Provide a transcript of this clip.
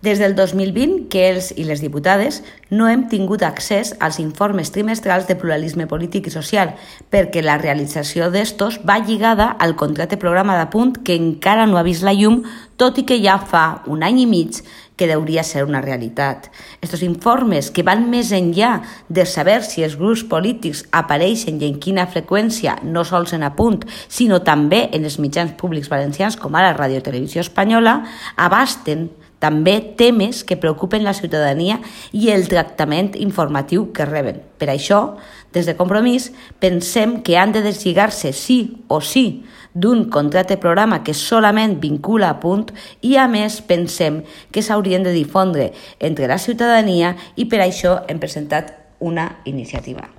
Des del 2020 que els i les diputades no hem tingut accés als informes trimestrals de pluralisme polític i social perquè la realització d'estos va lligada al contracte programa d'apunt que encara no ha vist la llum, tot i que ja fa un any i mig que hauria ser una realitat. Estos informes que van més enllà de saber si els grups polítics apareixen i en quina freqüència, no sols en apunt, sinó també en els mitjans públics valencians com ara Ràdio Televisió Espanyola, abasten també temes que preocupen la ciutadania i el tractament informatiu que reben. Per això, des de Compromís, pensem que han de deslligar-se sí o sí d'un contracte programa que solament vincula a punt i, a més, pensem que s'haurien de difondre entre la ciutadania i per això hem presentat una iniciativa.